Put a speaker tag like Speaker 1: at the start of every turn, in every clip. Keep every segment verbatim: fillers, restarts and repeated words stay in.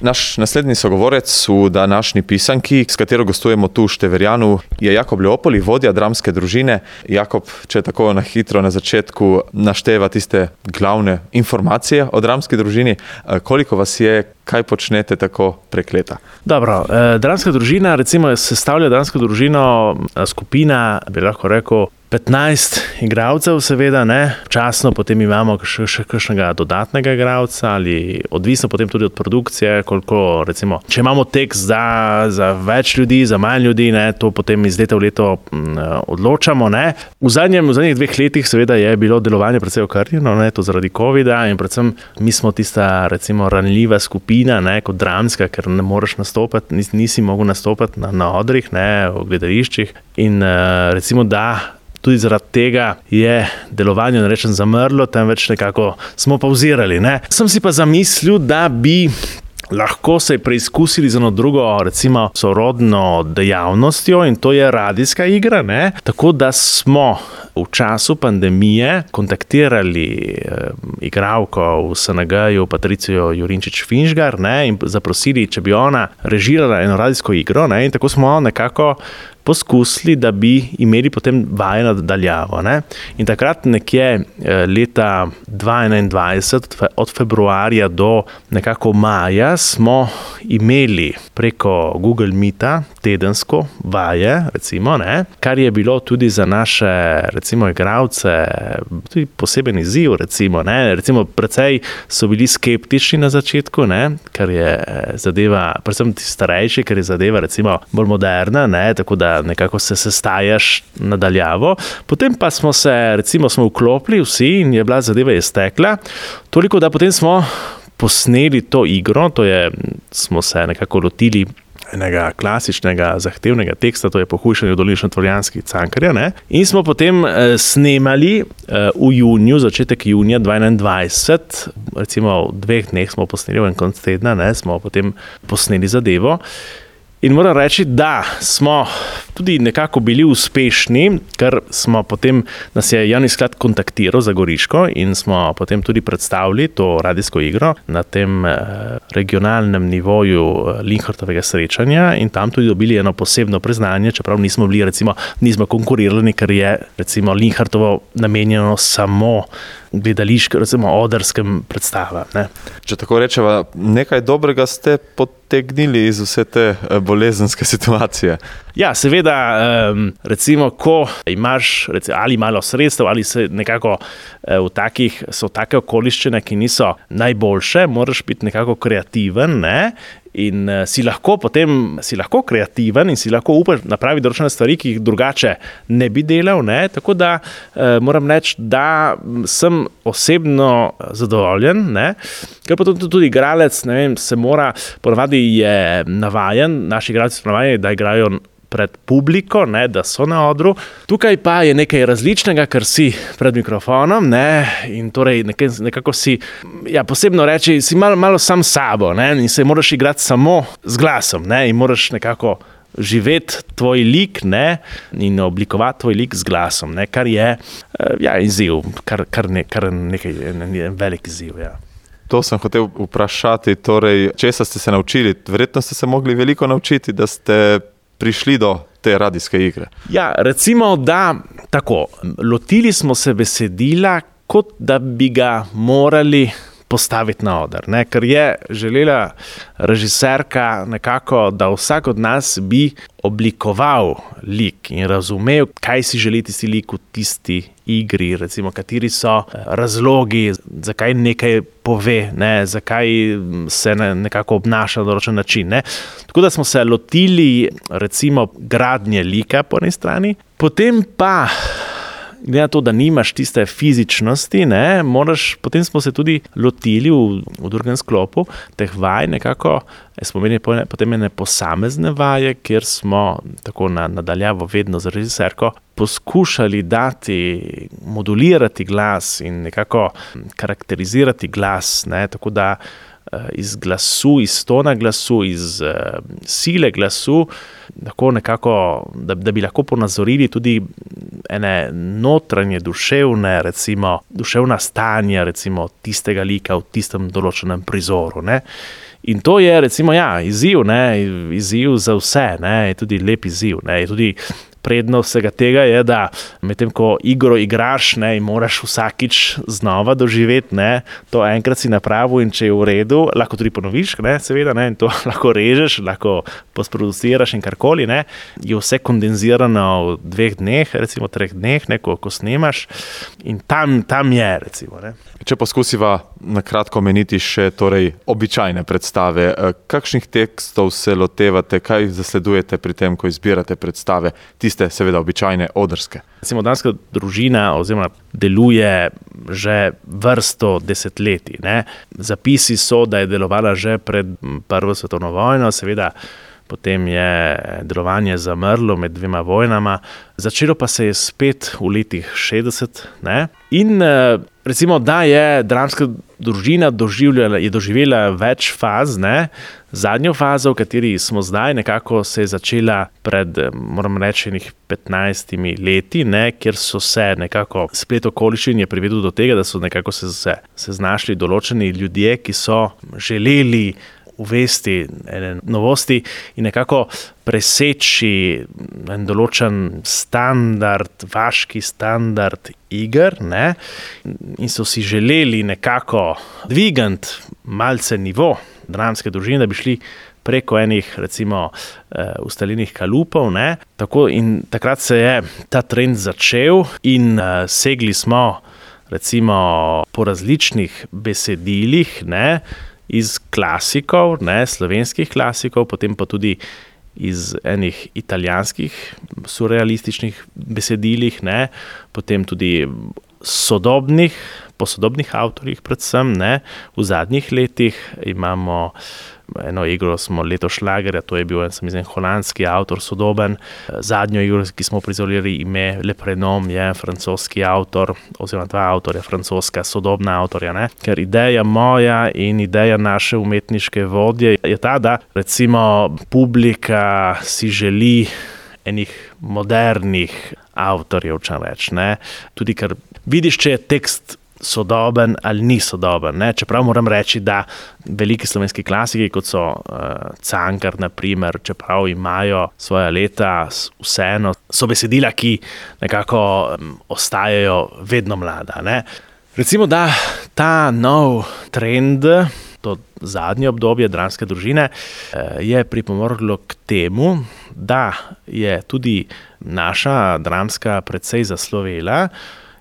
Speaker 1: Naš naslednji sogovorec v današnji pisanki, s katero gostujemo tu v Števerjanu, je Jakob Leopoli, vodja dramske družine. Jakob, če tako na hitro na začetku našteva tiste glavne informacije o dramski družini, koliko vas je, kaj počnete tako prek leta?
Speaker 2: Dobro, eh, dramska družina, recimo sestavlja dramsko družino skupina, bi lahko rekel, petnajst igralcev seveda, ne, časno potem imamo še, še kakšnega dodatnega igralca ali odvisno potem tudi od produkcije, koliko recimo, če imamo tekst za, za več ljudi, za manj ljudi, ne, to potem iz leta v leto m, odločamo, ne. V zadnjem, v zadnjih dveh letih seveda je bilo delovanje precej okrnjeno, ne, to zaradi covida in predvsem mi smo tista recimo ranljiva skupina, ne, kot dramska, ker ne moreš nastopati, nis, nisi mogel nastopati na, na odrih, ne, v gledališčih in uh, recimo da tudi zaradi tega je delovanje, ne rečem, zamrlo, temveč nekako smo pauzirali, ne. Sem si pa zamislil, da bi lahko se preizkusili z eno drugo, recimo, sorodno dejavnostjo in to je radijska igra, ne. Tako da smo v času pandemije kontaktirali eh, igralko v S N G-ju, Patricijo Jurinčič-Finžgar, ne, in zaprosili, če bi ona režirala eno radijsko igro, ne, in tako smo nekako poskusili, da bi imeli potem vaje nadaljavo, ne. In takrat nekje leta dva tisoč enaindvajset, od februarja do nekako maja, smo imeli preko Google Meeta tedensko vaje, recimo, ne, kar je bilo tudi za naše, recimo, igralce tudi poseben izziv, recimo, ne, recimo precej so bili skeptični na začetku, ne, ker je zadeva, predvsem ti starejši, ker je zadeva, recimo, bolj moderna, ne, tako da nekako se sestajaš nadaljavo. Potem pa smo se, recimo, smo vklopili vsi in je bila zadeva je stekla. Toliko, da potem smo posneli to igro, to je, smo se nekako lotili enega klasičnega, zahtevnega teksta, to je Pohujšanje v Dolinčno-Tvorjanski Cankarja, ne? In smo potem eh, snemali eh, v juniju, začetek junija dva tisoč enaindvajset, recimo v dveh dneh smo posneli, v en konc tedna, ne, smo potem posneli zadevo. In moram reči, da smo tudi nekako bili uspešni, ker smo potem, nas je javni sklad kontaktiral za Goriško in smo potem tudi predstavili to radijsko igro na tem regionalnem nivoju Linhartovega srečanja in tam tudi dobili eno posebno priznanje, čeprav nismo bili, recimo, nismo konkurirali, ker je, recimo, Linhartovo namenjeno samo gledališkem, recimo, odrskem predstavam, ne.
Speaker 1: Če tako rečeva, nekaj dobrega ste potegnili iz vse te bolezenske situacije.
Speaker 2: Ja, seveda, recimo, ko imaš recimo, ali malo sredstev, ali se nekako v takih, so take okoliščine, ki niso najboljše, moraš biti nekako kreativen, ne, in si lahko potem, si lahko kreativen in si lahko upaš napraviti določene stvari, ki jih drugače ne bi delal, ne, tako da moram reči, da sem osebno zadovoljen, ne, ker potem tudi igralec, ne vem, se mora, ponavadi je navajen, naši igralci so navajeni, da igrajo pred publiko, ne, da so na odru. Tukaj pa je nekaj različnega, ker si pred mikrofonom, ne, in torej nekaj, nekako si, ja, posebno reči, si malo, malo sam sabo, ne, in se moraš igrati samo z glasom, ne, in moraš nekako živeti tvoj lik, ne, in oblikovati tvoj lik z glasom, ne, kar je, ja, izziv, kar, kar, ne, kar nekaj, ne, velik izziv, ja.
Speaker 1: To sem hotel vprašati, torej, česa ste se naučili? Verjetno ste se mogli veliko naučiti, da ste prišli do te radijske igre.
Speaker 2: Ja, recimo, da tako, lotili smo se besedila, kot da bi ga morali postaviti na oder, ne, ker je želela režiserka nekako, da vsak od nas bi oblikoval lik in razumel, kaj si želi tisti lik v tisti igri, recimo, kateri so razlogi, zakaj nekaj pove, ne, zakaj se ne, nekako obnaša na določen način, ne. Tako da smo se lotili, recimo, gradnje lika po eni strani, potem pa glede na to, da nimaš tiste fizičnosti, ne, moraš, potem smo se tudi lotili v, v drugem sklopu teh vaj nekako, smo imeli potem ene posamezne vaje, kjer smo tako na, nadaljavo vedno z režiserko poskušali dati, modulirati glas in nekako karakterizirati glas, ne, tako da iz glasu, iz tona glasu, iz uh, sile glasu, tako nekako, da, da bi lahko ponazorili tudi ene notranje duševne, recimo, duševna stanja, recimo, tistega lika v tistem določenem prizoru, ne. In to je recimo ja, izziv, ne, izziv za vse, ne, je tudi lep izziv, ne, je tudi prednost vsega tega je, da medtem ko igro igraš, ne, in moraš vsakič znova doživeti, ne, to enkrat si napravil in če je v redu, lahko tudi ponoviš, ne, seveda, ne, in to lahko režeš, lahko postproduciraš in karkoli, ne, je vse kondenzirano v dveh dneh, recimo treh dneh, ne, ko, ko snemaš in tam, tam je, recimo, ne.
Speaker 1: Če poskusiva na kratko omeniti še torej običajne predstave, kakšnih tekstov se lotevate, kaj zasledujete pri tem, ko izbirate predstave, tiste seveda običajne odrske?
Speaker 2: Recimo Danska družina oziroma deluje že vrsto desetletij, ne. Zapisi so, da je delovala že pred prvo svetovno vojno, seveda potem je delovanje zamrlo med dvema vojnama, začelo pa se je spet v letih šestdeset, ne. In recimo, da je dramska družina doživljala, je doživela več faz, ne. Zadnjo fazo, v kateri smo zdaj, nekako se je začela pred, moram reči, petnajstimi leti, ne, kjer so se nekako splet okoliščin je privedel do tega, da so nekako se, se, se znašli določeni ljudje, ki so želeli uvesti ene novosti in nekako preseči en določen standard, vaški standard iger, ne, in so si želeli nekako dvigant malce nivo dramske družine, da bi šli preko enih, recimo, ustaljenih kalupov, ne, tako in takrat se je ta trend začel in uh, segli smo, recimo, po različnih besedilih, ne, iz klasikov, ne, slovenskih klasikov, potem pa tudi iz enih italijanskih surrealističnih besedilih, ne, potem tudi sodobnih, po sodobnih avtorjih predvsem, ne, v zadnjih letih imamo eno igro smo Leto šlagerja, to je bil en, sem izmen, holandski avtor, sodoben. Zadnjo igro, ki smo prizorili ime Le Prénom, je francoski avtor, oziroma dva avtorja, francoska, sodobna avtorja, ne. Ker ideja moja in ideja naše umetniške vodje je ta, da recimo publika si želi enih modernih avtorjev, če reč, ne. Tudi ker vidiš, če je tekst sodoben ali ni sodoben, ne? Čeprav moram reči, da veliki slovenski klasiki, kot so uh, Cankar, na primer, čeprav imajo svoja leta, vseeno so besedila, ki nekako um, ostajajo vedno mlada, ne? Recimo, da ta nov trend, to zadnje obdobje dramske družine, uh, je pripomorlo k temu, da je tudi naša dramska precej zaslovela,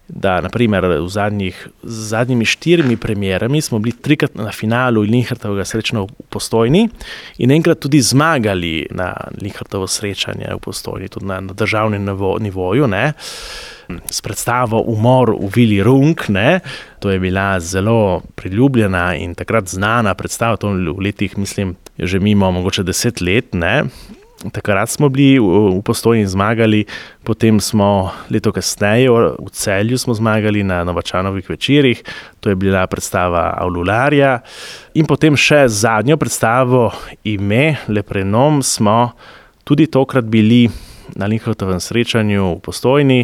Speaker 2: da naprimer v zadnjih, z zadnjimi štirimi premierami smo bili trikrat na finalu Linhartovega srečanja v Postojni in enkrat tudi zmagali na Linhartovo srečanje v Postojni, tudi na, na državnem nivo, nivoju, ne. S predstavo Umor v Vili Runk, ne. To je bila zelo priljubljena in takrat znana predstava, to v letih, mislim, že mimo mogoče deset let, ne. Takrat smo bili v Postojni zmagali, potem smo leto kasneje v Celju smo zmagali na Novačanovih večerih, to je bila predstava Aulularja in potem še zadnjo predstavo Ime, Le Prénom, smo tudi tokrat bili na Linhartovem srečanju v Postojni.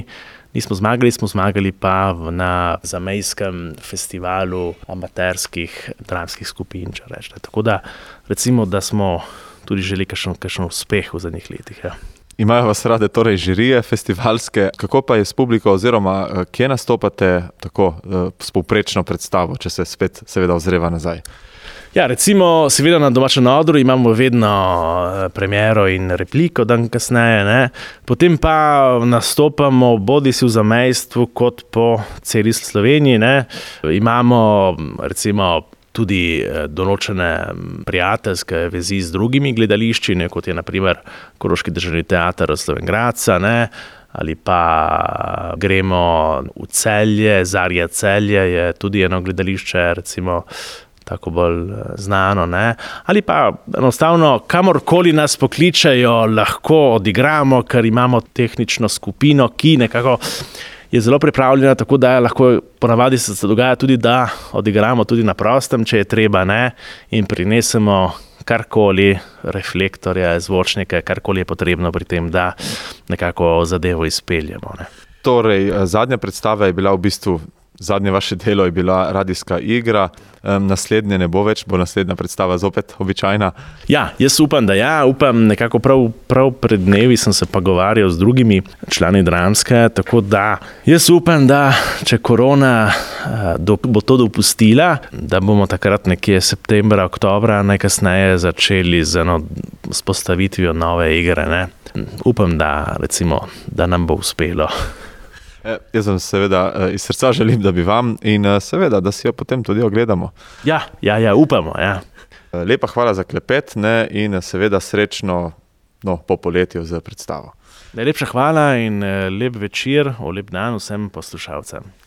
Speaker 2: Nismo zmagali, smo zmagali pa na zamejskem festivalu amaterskih dramskih skupin, če rečete. Tako da recimo, da smo tudi želi kakšen, kakšen uspeh v zadnjih letih. Ja.
Speaker 1: Imajo vas rade torej žirije festivalske, kako pa je s publiko oziroma kje nastopate tako s povprečno predstavo, če se spet seveda ozreva nazaj?
Speaker 2: Ja, recimo, seveda na domačem odru imamo vedno premiero in repliko dan kasneje, ne. Potem pa nastopamo bodi si v zamejstvu kot po celi Sloveniji, ne. Imamo recimo tudi določene prijateljske vezi z drugimi gledališči, ne, kot je na primer Koroški državni teater Slovenj Gradca, ne, ali pa gremo v Celje, Zarja Celje je tudi eno gledališče, recimo tako bolj znano, ne, ali pa enostavno kamorkoli nas pokličejo, lahko odigramo, ker imamo tehnično skupino, ki nekako je zelo pripravljena, tako da lahko ponavadi se dogaja tudi, da odigramo tudi na prostem, če je treba, ne, in prinesemo karkoli, reflektorje, zvočnike, karkoli je potrebno pri tem, da nekako zadevo izpeljemo, ne.
Speaker 1: Torej, zadnja predstava je bila v bistvu zadnje vaše delo je bila radijska igra, um, naslednje ne bo več, bo naslednja predstava zopet običajna.
Speaker 2: Ja, jaz upam, da ja, upam, nekako prav, prav pred dnevi sem se pogovarjal z drugimi člani Dramske, tako da jaz upam, da če korona uh, do, bo to dopustila, da bomo takrat nekje septembra, oktobra najkasneje začeli z eno spostavitvijo nove igre, ne. Upam, da, recimo, da nam bo uspelo.
Speaker 1: E, jaz vam seveda iz srca želim, da bi vam in seveda, da si jo potem tudi ogledamo.
Speaker 2: Ja, ja, ja, upamo, ja.
Speaker 1: Lepa hvala za klepet, ne, in seveda srečno, no, po poletju z predstavo.
Speaker 2: Najlepša hvala in lep večer, lep dan vsem poslušalcem.